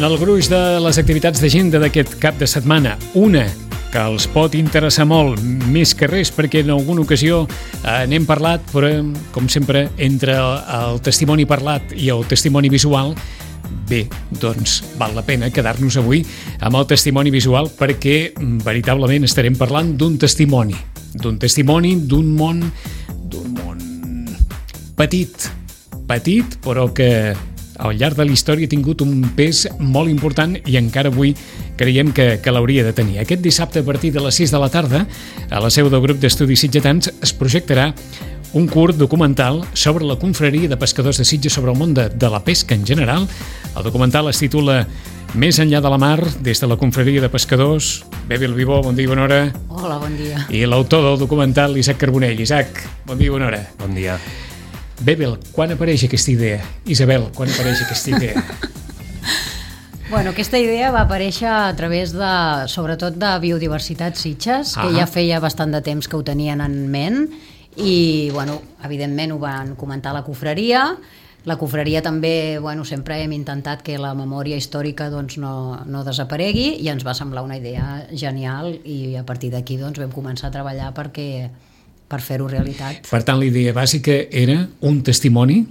En el gruix de les activitats d'agenda d'aquest cap de setmana, una que els pot interessar molt, més que res, perquè en alguna ocasió n'hem parlat, però, com sempre, entre el testimoni parlat i el testimoni visual, bé, doncs val la pena quedar-nos avui amb el testimoni visual perquè veritablement estarem parlant d'un testimoni d'un món petit, però que al llarg de la història ha tingut un pes molt important i encara avui creiem que l'hauria de tenir. Aquest dissabte a partir de les 6 de la tarda, a la seu del grup d'estudis sitgetans, es projectarà un curt documental sobre la confraria de pescadors de Sitges, sobre el món de la pesca en general. El documental es titula Més enllà de la mar, des de la confraria de pescadors. Bebel Vivó, bon dia i bona hora. Hola, bon dia. I l'autor del documental, Isaac Carbonell. Isaac, bon dia i bona hora. Bon dia. Bebel, quan apareix aquesta idea? Isabel, quan apareix aquesta idea? Bueno, aquesta idea va aparèixer a través sobretot de Biodiversitat Sitges, que ja feia bastant de temps que ho tenien en ment, i, bueno, evidentment ho van comentar a la confraria. La confraria també, bueno, sempre hem intentat que la memòria històrica doncs, no desaparegui, i ens va semblar una idea genial, i a partir d'aquí doncs, vam començar a treballar per fer-ho realitat. Per tant, la idea bàsica era un testimoni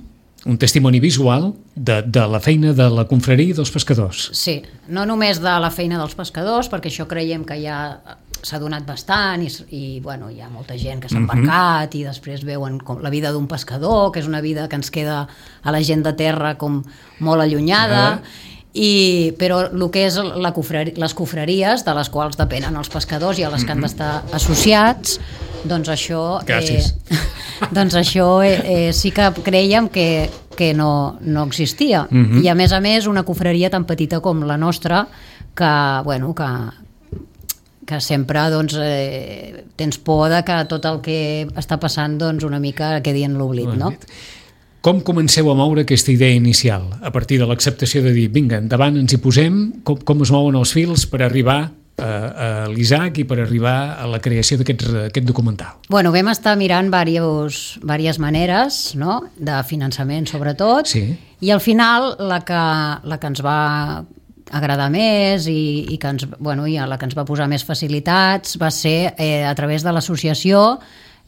visual de la feina de la confraria dels pescadors. Sí, no només de la feina dels pescadors, perquè això creiem que ja s'ha donat bastant i bueno, hi ha molta gent que s'ha embarcat i després veuen la vida d'un pescador, que és una vida que ens queda a la gent de terra com molt allunyada, però el que és les confraries de les quals depenen els pescadors i a les que han d'estar associats, doncs això sí que creiem que no existia. I a més una confraria tan petita com la nostra que sempre doncs, tens por de que tot el que està passant doncs, una mica quedi en l'oblit, no? Com comenceu a moure aquesta idea inicial? A partir de l'acceptació de dir, vinga, endavant, ens hi posem, com es mouen els fils per arribar a l'Isaac i per arribar a la creació d'aquest documental? Bueno, vam estar mirant diverses maneres, no?, de finançament sobretot, i al final la que ens va agradar més i a la que ens va posar més facilitats va ser a través de l'associació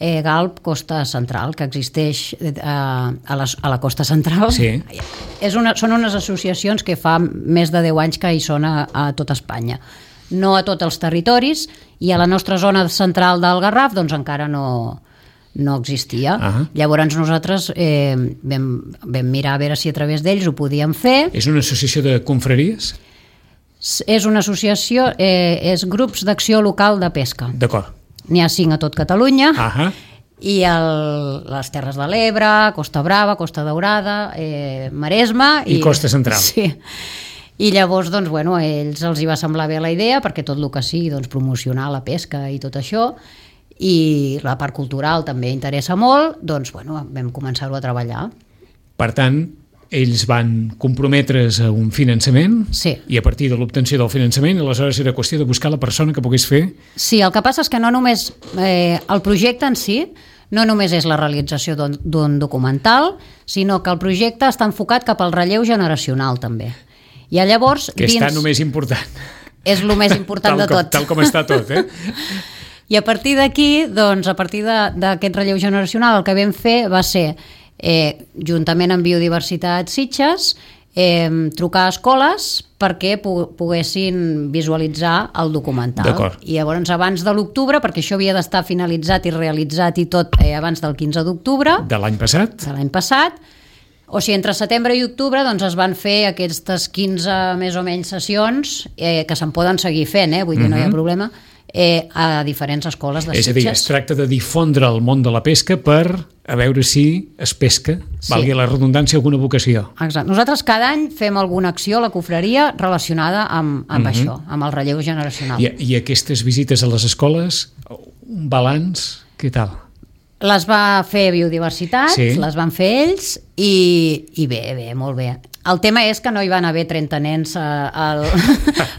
Galp Costa Central, que existeix a la Costa Central. Són unes associacions que fa més de 10 anys que hi són a tot Espanya, no a tots els territoris, i a la nostra zona central del Garraf doncs encara no existia. Llavors nosaltres vam mirar a veure si a través d'ells ho podíem fer. És una associació de confraries? És una associació, és grups d'acció local de pesca. D'acord. N'hi ha 5 a tot Catalunya, i les Terres de l'Ebre, Costa Brava, Costa Daurada, Maresme i Costa Central. Sí. I llavors, doncs, bueno, a ells els hi va semblar bé la idea, perquè tot el que sigui, doncs, promocionar la pesca i tot això, i la part cultural també interessa molt, doncs, bueno, vam començar-ho a treballar. Per tant, ells van comprometre's a un finançament, i a partir de l'obtenció del finançament, aleshores era qüestió de buscar la persona que pogués fer. Sí, el que passa és que no només el projecte en si no només és la realització d'un documental, sinó que el projecte està enfocat cap al relleu generacional també. I llavors, que està només important. És el més important de tot. Tal com està tot, I a partir d'aquí, doncs, a partir d'aquest relleu generacional, el que vam fer va ser, juntament amb Biodiversitat Sitges, trucar a escoles perquè poguessin visualitzar el documental. I llavors, abans de l'octubre, perquè això havia d'estar finalitzat i realitzat i tot abans del 15 d'octubre... De l'any passat? De l'any passat. O sigui, entre setembre i octubre doncs, es van fer aquestes 15 més o menys sessions que se'n poden seguir fent, vull dir, no hi ha problema, a diferents escoles de Sitges. És a dir, es tracta de difondre el món de la pesca per a veure si es pesca, valgui la redundància, alguna vocació. Exacte. Nosaltres cada any fem alguna acció a la confraria relacionada amb això, amb el relleu generacional. I aquestes visites a les escoles, un balanç, què tal? Les va fer Biodiversitat, les van fer ells, i bé, molt bé. El tema és que no hi van haver 30 nens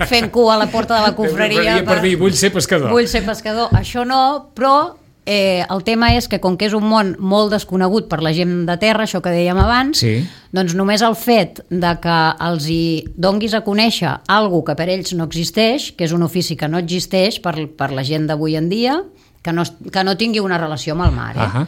fent cua a la porta de la confraria per dir, vull ser pescador. Vull ser pescador. Això no, però el tema és que com que és un món molt desconegut per la gent de terra, això que dèiem abans, doncs només el fet de que els hi donguis a conèixer alguna que per ells no existeix, que és un ofici que no existeix per la gent d'avui en dia, que no tingui una relació amb el mar.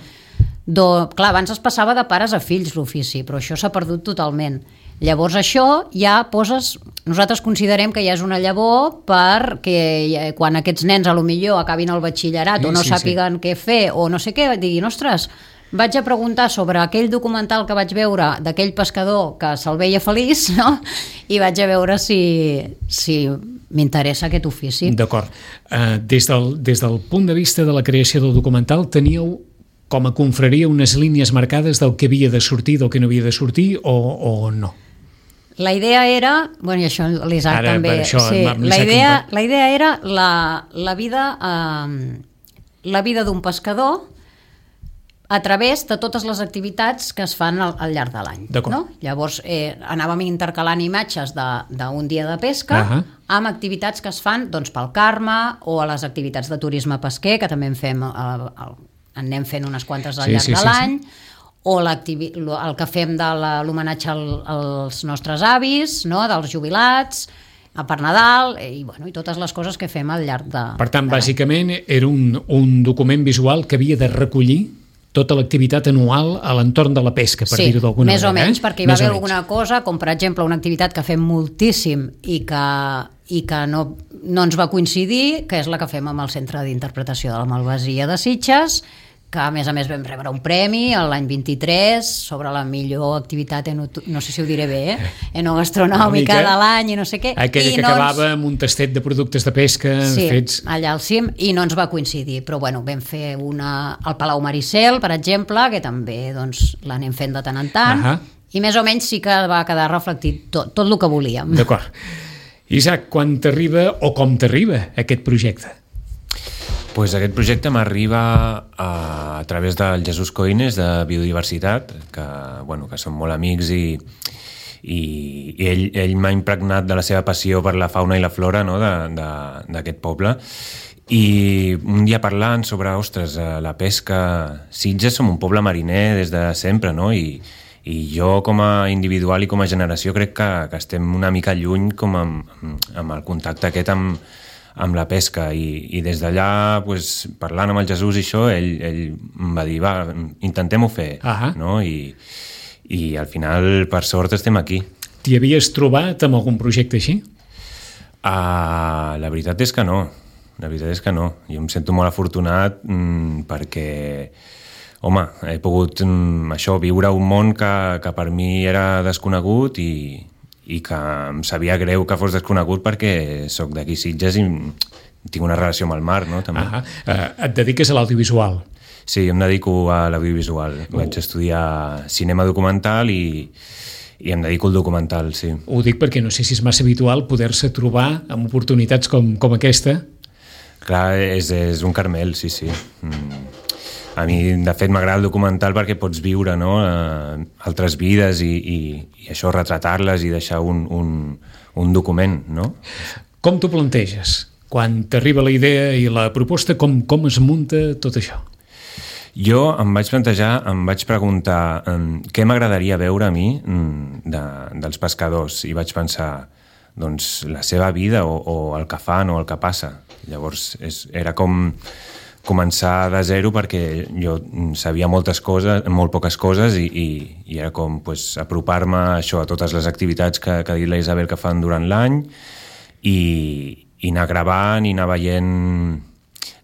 Clar, abans es passava de pares a fills l'ofici, però això s'ha perdut totalment. Llavors això ja poses... Nosaltres considerem que ja és una llavor perquè quan aquests nens a lo millor acabin el batxillerat o no sàpiguen què fer o no sé què, diguin, ostres, vaig a preguntar sobre aquell documental que vaig veure d'aquell pescador que se'l veia feliç, no? I vaig a veure si m'interessa aquest ofici. D'acord. Des del punt de vista de la creació del documental, teníeu com a confraria unes línies marcades del que havia de sortir, del que no havia de sortir o no? La idea era, bueno, i això l'Isaac també, la idea era la vida d'un pescador a través de totes les activitats que es fan al llarg de l'any. No? Llavors anàvem intercalant imatges d'un dia de pesca amb activitats que es fan pel Carme o a les activitats de turisme pesquer, que també anem fent unes quantes al llarg de l'any, o el que fem de l'homenatge als nostres avis, no? Dels jubilats, per Nadal, i totes les coses que fem al llarg de... Per tant, bàsicament, era un document visual que havia de recollir tota l'activitat anual a l'entorn de la pesca, per dir-ho d'alguna manera. Sí, més o menys, perquè hi va haver alguna cosa, com per exemple una activitat que fem moltíssim i que no ens va coincidir, que és la que fem amb el Centre d'Interpretació de la Malvasia de Sitges, que a més vam rebre un premi l'any 23 sobre la millor activitat, no sé si ho diré bé, enogastronòmica de l'any i no sé què. Aquella que acabava amb un tastet de productes de pesca fets... Sí, allà al cim, i no ens va coincidir, però vam fer una al Palau Maricel, per exemple, que també l'anem fent de tant en tant, i més o menys sí que va quedar reflectit tot el que volíem. D'acord. Isaac, quan t'arriba o com t'arriba aquest projecte? Pues aquest projecte m'arriba a través del Jesús Coines de Biodiversitat, que som molt amics i ell m'ha impregnat de la seva passió per la fauna i la flora, no? d'aquest poble. I un dia parlant sobre, ostres, la pesca... Sitges som un poble mariner des de sempre, no? I jo com a individual i com a generació crec que estem una mica lluny com amb el contacte aquest amb la pesca, i des d'allà parlant amb el Jesús i això, ell em va dir, intentem-ho fer, no? I al final, per sort, estem aquí. T'hi havies trobat amb algun projecte així? La veritat és que no. Jo em sento molt afortunat perquè, home, he pogut viure un món que per mi era desconegut i que em sabia greu que fos desconegut perquè sóc d'aquí Sitges i tinc una relació amb el mar, no? També. Et dediques a l'audiovisual? Sí, em dedico a l'audiovisual. Vaig estudiar cinema documental i em dedico al documental, sí. Ho dic perquè no sé si és massa habitual poder-se trobar amb oportunitats com aquesta. Clar, és un carmel, sí. A mi, de fet, m'agrada el documental perquè pots viure, no? Altres vides i això, retratar-les i deixar un document, no? Com t'ho planteges? Quan t'arriba la idea i la proposta, com es munta tot això? Jo em vaig preguntar què m'agradaria veure a mi dels pescadors, i vaig pensar, doncs, la seva vida o el que fan o el que passa. Llavors, era com començar de zero perquè jo sabia molt poques coses i era com apropar-me això a totes les activitats que ha dit la Isabel que fan durant l'any i anar gravant i anar veient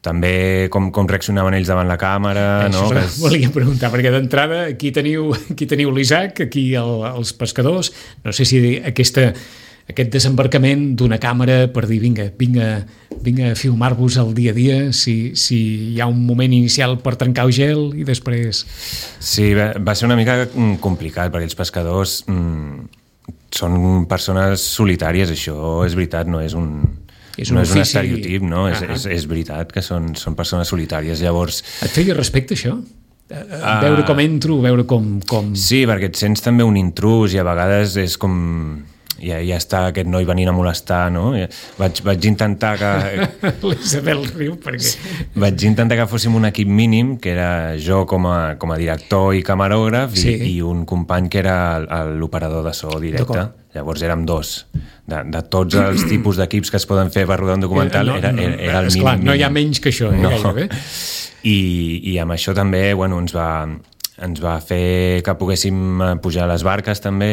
també com reaccionaven ells davant la càmera. Això volia preguntar, perquè d'entrada aquí teniu l'Isaac, aquí els pescadors, no sé si aquest desembarcament d'una càmera per dir vinga a filmar-vos el dia a dia, si hi ha un moment inicial per trencar el gel i després... Sí, va ser una mica complicat perquè els pescadors són persones solitàries, això és veritat, no és un estereotip, no? És veritat que són persones solitàries, llavors... Et feia respecte això? Veure com entro, veure com... Sí, perquè et sents també un intrús i a vegades és com... ja està aquest noi venint a molestar, no? Vaig intentar que... L'Isabel riu perquè... Vaig intentar que fóssim un equip mínim, que era jo com a director i camarògraf, i un company que era l'operador de so directe. Llavors érem 2. De tots els tipus d'equips que es poden fer per rodar un documental, era el mínim. Esclar, no hi ha menys que això, gairebé. I amb això també, ens va fer que poguéssim pujar a les barques també,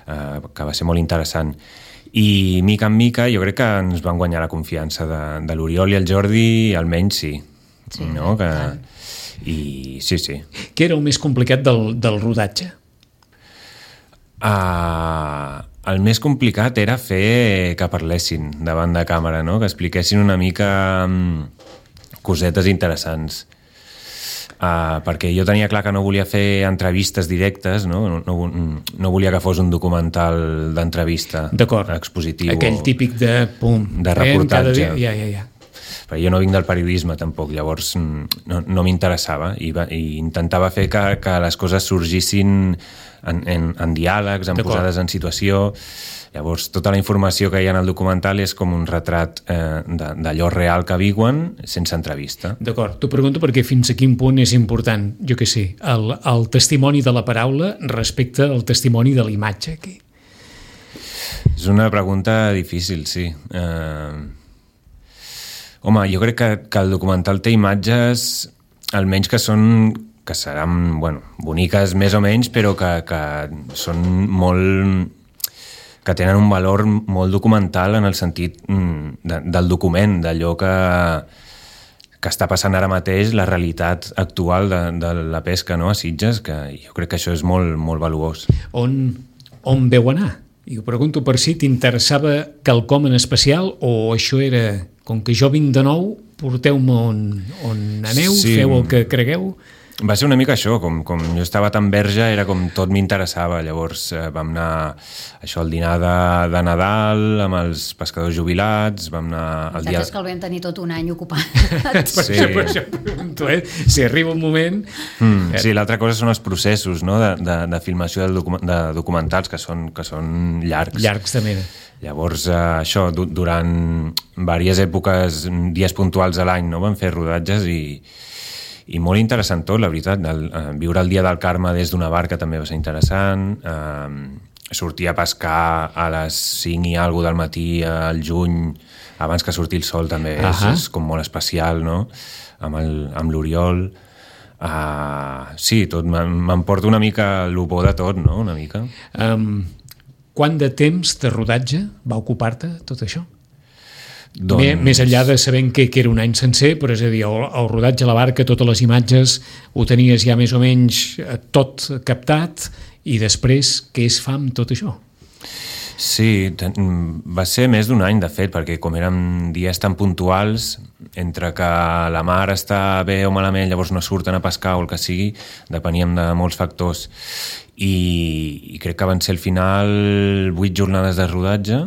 que va ser molt interessant. I mica en mica jo crec que ens van guanyar la confiança de l'Oriol i el Jordi, almenys sí. No? I sí. Què era el més complicat del rodatge? El més complicat era fer que parlessin davant de càmera, no? Que expliquessin una mica cosetes interessants. Perquè jo tenia clar que no volia fer entrevistes directes, no volia que fos un documental d'entrevista expositiu. Aquell típic de reportatge. Ja. Però jo no vinc del periodisme tampoc, llavors no m'interessava i intentava fer que les coses sorgissin en diàlegs, en posades en situació. Llavors, tota la informació que hi ha en el documental és com un retrat d'allò real que viuen sense entrevista. D'acord, t'ho pregunto perquè fins a quin punt és important, jo què sé, el testimoni de la paraula respecte al testimoni de la imatge aquí. És una pregunta difícil, sí. Home, jo crec que el documental té imatges, almenys que seran, boniques més o menys, però que són molt... que tenen un valor molt documental en el sentit del document, d'allò que està passant ara mateix, la realitat actual de la pesca, no?, a Sitges, que jo crec que això és molt, molt valuós. On veu anar? I ho pregunto per si t'interessava quelcom en especial o això era, com que jo vinc de nou, porteu-me on aneu, feu el que cregueu... Va ser una mica això, com jo estava tan verge, era com tot m'interessava. Llavors vam anar al dinar de Nadal amb els pescadors jubilats, vam anar... El dia... és que el vam tenir tot un any ocupat. Per això pregunto, si arriba un moment... Sí, l'altra cosa són els processos, no?, de filmació de documentals, que són llargs. Llargs de mena. Llavors, això, durant diverses èpoques, dies puntuals a l'any, no?, vam fer rodatges i molt interessant tot, la veritat. Viure el dia del Carme des d'una barca també va ser interessant. Sortir a pescar a les 5 i alguna del matí al juny, abans que surti el sol també és com molt especial, no?, amb l'Oriol. Sí, tot m'emporta una mica el bo de tot, no?, una mica. Quant de temps de rodatge va ocupar-te tot això? Més enllà de saber que era un any sencer, però és a dir, el rodatge a la barca, totes les imatges, ho tenies ja més o menys tot captat, i després què es fa amb tot això? Sí, va ser més d'un any, de fet, perquè com eren dies tan puntuals, entre que la mar està bé o malament, llavors no surten a pescar o el que sigui, depeníem de molts factors. I crec que van ser al final 8 jornades de rodatge,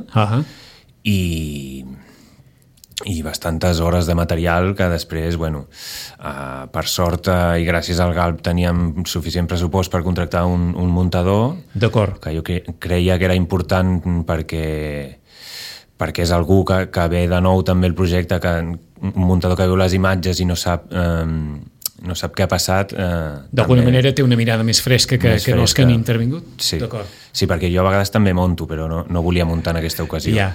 i bastantes hores de material que després, per sort i gràcies al GALB teníem suficient pressupost per contractar un muntador. D'acord. Que jo creia que era important perquè és algú que ve de nou també el projecte, un muntador que veu les imatges i no sap què ha passat. D'alguna manera té una mirada més fresca que els que han intervingut? Sí. Sí, perquè jo a vegades també monto, però no volia muntar en aquesta ocasió. Ja.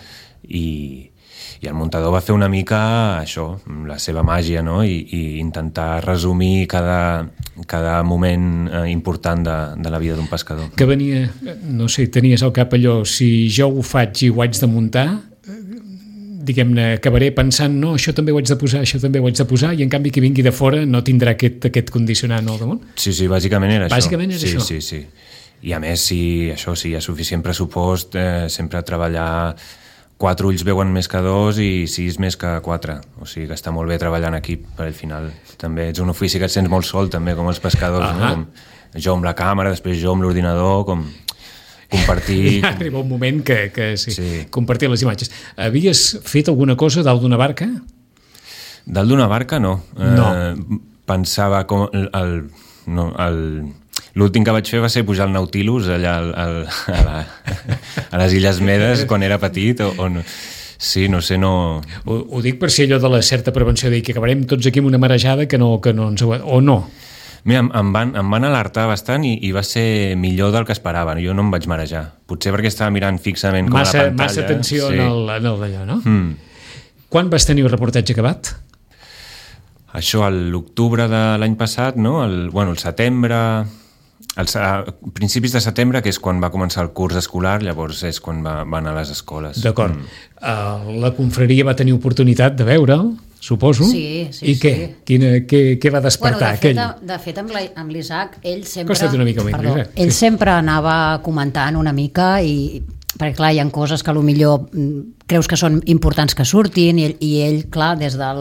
I el muntador va fer una mica això, la seva màgia, no?, i intentar resumir cada moment important de la vida d'un pescador. Que venia, no sé, tenies al cap allò, si jo ho faig i ho haig de muntar, diguem-ne, acabaré pensant, no, això també ho haig de posar, i en canvi qui vingui de fora no tindrà aquest condicionant al damunt? Sí, bàsicament era això. Bàsicament era això? Sí. I a més, si hi ha suficient pressupost, sempre treballar 4 ulls veuen més que 2 i 6 més que 4. O sigui que està molt bé treballar en equip, per al final. També ets un ofici que et sents molt sol, també, com els pescadors, no? Com jo amb la càmera, després jo amb l'ordinador, com compartir... Ja arriba un moment que sí, compartir les imatges. Havies fet alguna cosa dalt d'una barca? Dalt d'una barca, no. No. Pensava com L'últim que vaig fer va ser pujar al Nautilus allà a les Illes Medes quan era petit o no. Sí, no sé, no... Ho dic per si allò de la certa prevenció, dir que acabarem tots aquí amb una marejada que no ens... O no? Mira, em van alertar bastant i va ser millor del que esperava. Jo no em vaig marejar. Potser perquè estava mirant fixament com a la pantalla. Massa atenció en d'allò, no? Quan vas tenir el reportatge acabat? Això a l'octubre de l'any passat, no? El setembre... A principis de setembre, que és quan va començar el curs escolar, llavors és quan va anar a les escoles. D'acord. La confraria va tenir oportunitat de veure'l, suposo. Sí. I què? Què va despertar aquell? De fet, amb l'Isaac, ell sempre... Costa't una mica més. Ell sempre anava comentant una mica perquè clar, hi ha coses que millor creus que són importants que surtin i ell, clar, des de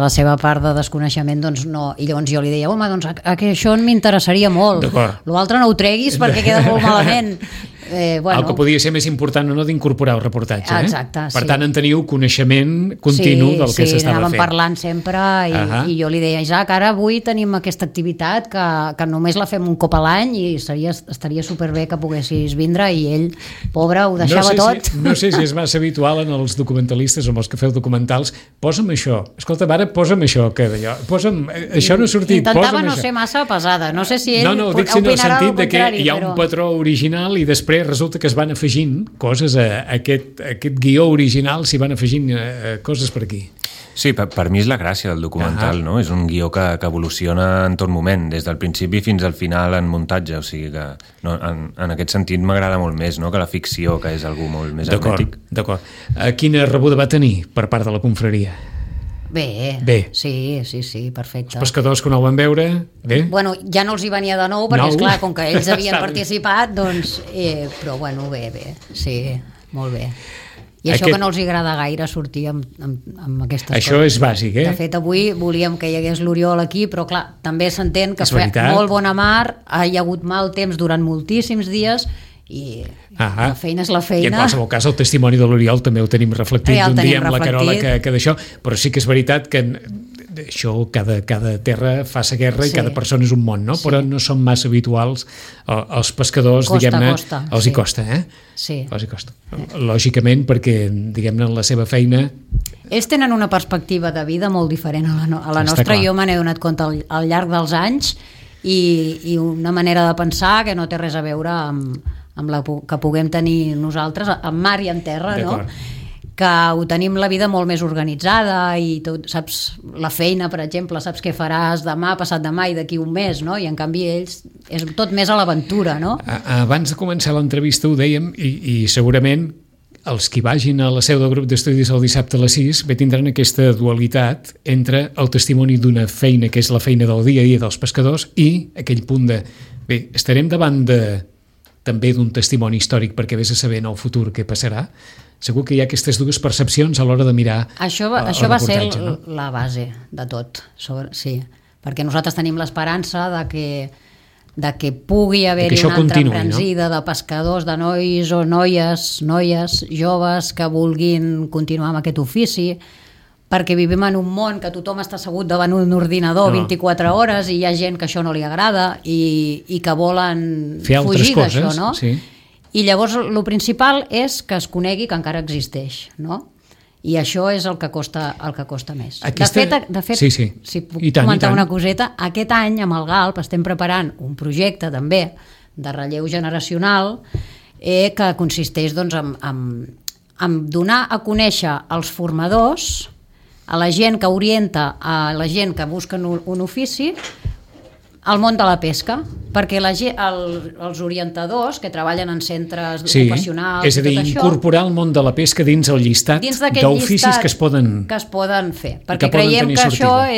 la seva part de desconeixement, doncs no. I llavors jo li deia, home, doncs això m'interessaria molt. L'altre no ho treguis perquè queda molt malament. El que podia ser més important o no d'incorporar el reportatge. Exacte, Per tant, en teniu coneixement continu del que s'estava fent. Sí, anàvem parlant sempre i jo li deia, Isaac, ara avui tenim aquesta activitat que només la fem un cop a l'any i estaria superbé que poguessis vindre, i ell, pobre, ho deixava tot. No sé si és massa habitual en els documentalistes o en els que feu documentals, posa'm això, escolta, ara posa'm això, això no ha sortit, intentava no ser massa pesada, no sé si ell dic en el sentit de que hi ha un patró original i després resulta que es van afegint coses a aquest guió original, s'hi van afegint coses per aquí. Sí, per mi és la gràcia del documental, no? És un guió que evoluciona en tot moment, des del principi fins al final en muntatge, o sigui que en aquest sentit m'agrada molt més, no?, que la ficció, que és algú molt més hermètic. D'acord. Quina rebuda va tenir per part de la confraria? Bé. Sí, perfecte. Els pescadors que no el van veure, bé? Bueno, ja no els hi venia de nou, perquè esclar, com que ells havien participat, doncs... però bueno, bé, sí, molt bé. I això que no els agrada gaire sortir amb aquestes coses. Això és bàsic, De fet, avui volíem que hi hagués l'Oriol aquí, però clar, també s'entén que fa molt bona mar, hi ha hagut mal temps durant moltíssims dies, i la feina és la feina. I en qualsevol cas el testimoni de l'Oriol també ho tenim reflectit d'un dia amb la Carola que d'això, però sí que és veritat que això, cada terra fa sa guerra i cada persona és un món, no? Però no són massa habituals els pescadors, diguem-ne, els hi costa, Sí. Els hi costa. Lògicament, perquè, diguem-ne, en la seva feina... Ells tenen una perspectiva de vida molt diferent a la nostra. Jo me n'he donat compte al llarg dels anys i una manera de pensar que no té res a veure amb la que puguem tenir nosaltres, en mar i en terra, no? Que ho tenim la vida molt més organitzada i tot, saps, la feina, per exemple, saps què faràs demà, passat demà i d'aquí un mes, no? I en canvi ells és tot més a l'aventura, no? Abans de començar l'entrevista ho dèiem i segurament els que vagin a la seu del grup d'estudis el dissabte a les 6 tindran aquesta dualitat entre el testimoni d'una feina que és la feina del dia a dia dels pescadors i aquell punt de, estarem davant també d'un testimoni històric perquè vés a saber en el futur què passarà. Segur que hi ha aquestes dues percepcions a l'hora de mirar això va ser la base de tot, sí, perquè nosaltres tenim l'esperança de que pugui haver-hi una altra embranzida de pescadors, de nois o noies joves que vulguin continuar amb aquest ofici, perquè vivim en un món que tothom està assegut davant un ordinador 24 hores i hi ha gent que això no li agrada i que volen fugir d'això, no? Sí. I llavors el principal és que es conegui que encara existeix, no? I això és el que costa més. De fet, si puc comentar una coseta, aquest any amb el GALP estem preparant un projecte també de relleu generacional que consisteix doncs, en donar a conèixer als formadors, a la gent que orienta, a la gent que busca un ofici, al món de la pesca, perquè els orientadors que treballen en centres ocupacionals, és a dir, incorporar el món de la pesca dins el llistat d'oficis que es poden fer, perquè creiem que això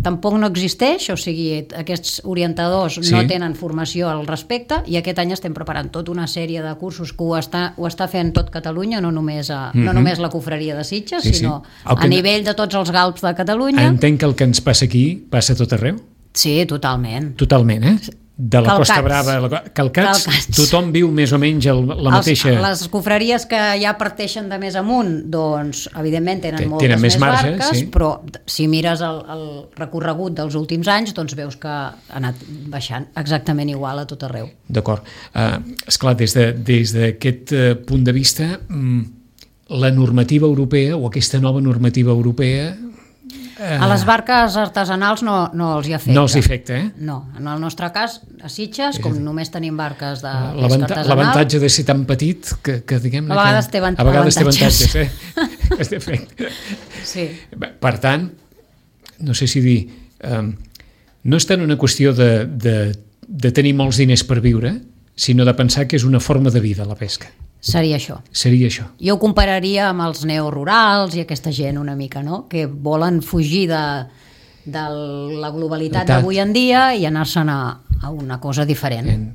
tampoc no existeix, o sigui, aquests orientadors no tenen formació al respecte, i aquest any estem preparant tota una sèrie de cursos que ho està fent tot Catalunya, no només la confraria de Sitges, sinó a nivell de tots els GALPs de Catalunya. Entenc que el que ens passa aquí passa a tot arreu? Sí, totalment. Totalment, de la Costa Brava, Calcats, tothom viu més o menys la mateixa... Les confraries que ja parteixen de més amunt, doncs, evidentment, tenen moltes més marge, barques, sí. però si mires el recorregut dels últims anys, doncs veus que ha anat baixant exactament igual a tot arreu. D'acord. Esclar, des d'aquest punt de vista, la normativa europea, o aquesta nova normativa europea... A les barques artesanals no els hi afecta. No els hi afecta, No, en el nostre cas, a Sitges, com només tenim barques de pesca artesanal... L'avantatge de ser tan petit que diguem-ne... A vegades té avantatges. Sí. Per tant, no sé si dir... no és tant una qüestió de tenir molts diners per viure, sinó de pensar que és una forma de vida, la pesca. Seria això. Jo ho compararia amb els neorurals i aquesta gent una mica, no? Que volen fugir de la globalitat d'avui en dia i anar-se'n a una cosa diferent.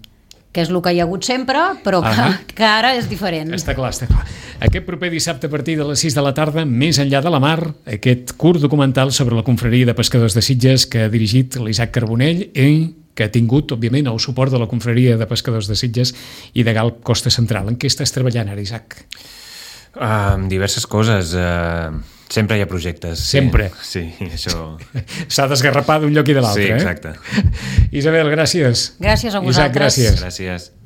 Que és el que hi ha hagut sempre, però que ara és diferent. Està clar. Aquest proper dissabte a partir de les 6 de la tarda, Més enllà de la mar, aquest curt documental sobre la confraria de pescadors de Sitges que ha dirigit l'Isaac Carbonell i que ha tingut, òbviament, el suport de la confraria de pescadors de Sitges i de Galp Costa Central. En què estàs treballant ara, Isaac? Diverses coses. Sempre hi ha projectes. Sempre? Sí, això... S'ha d'esgarrapar d'un lloc i de l'altre. Sí, exacte. Isabel, gràcies. Gràcies a vosaltres. Isaac, gràcies. Gràcies.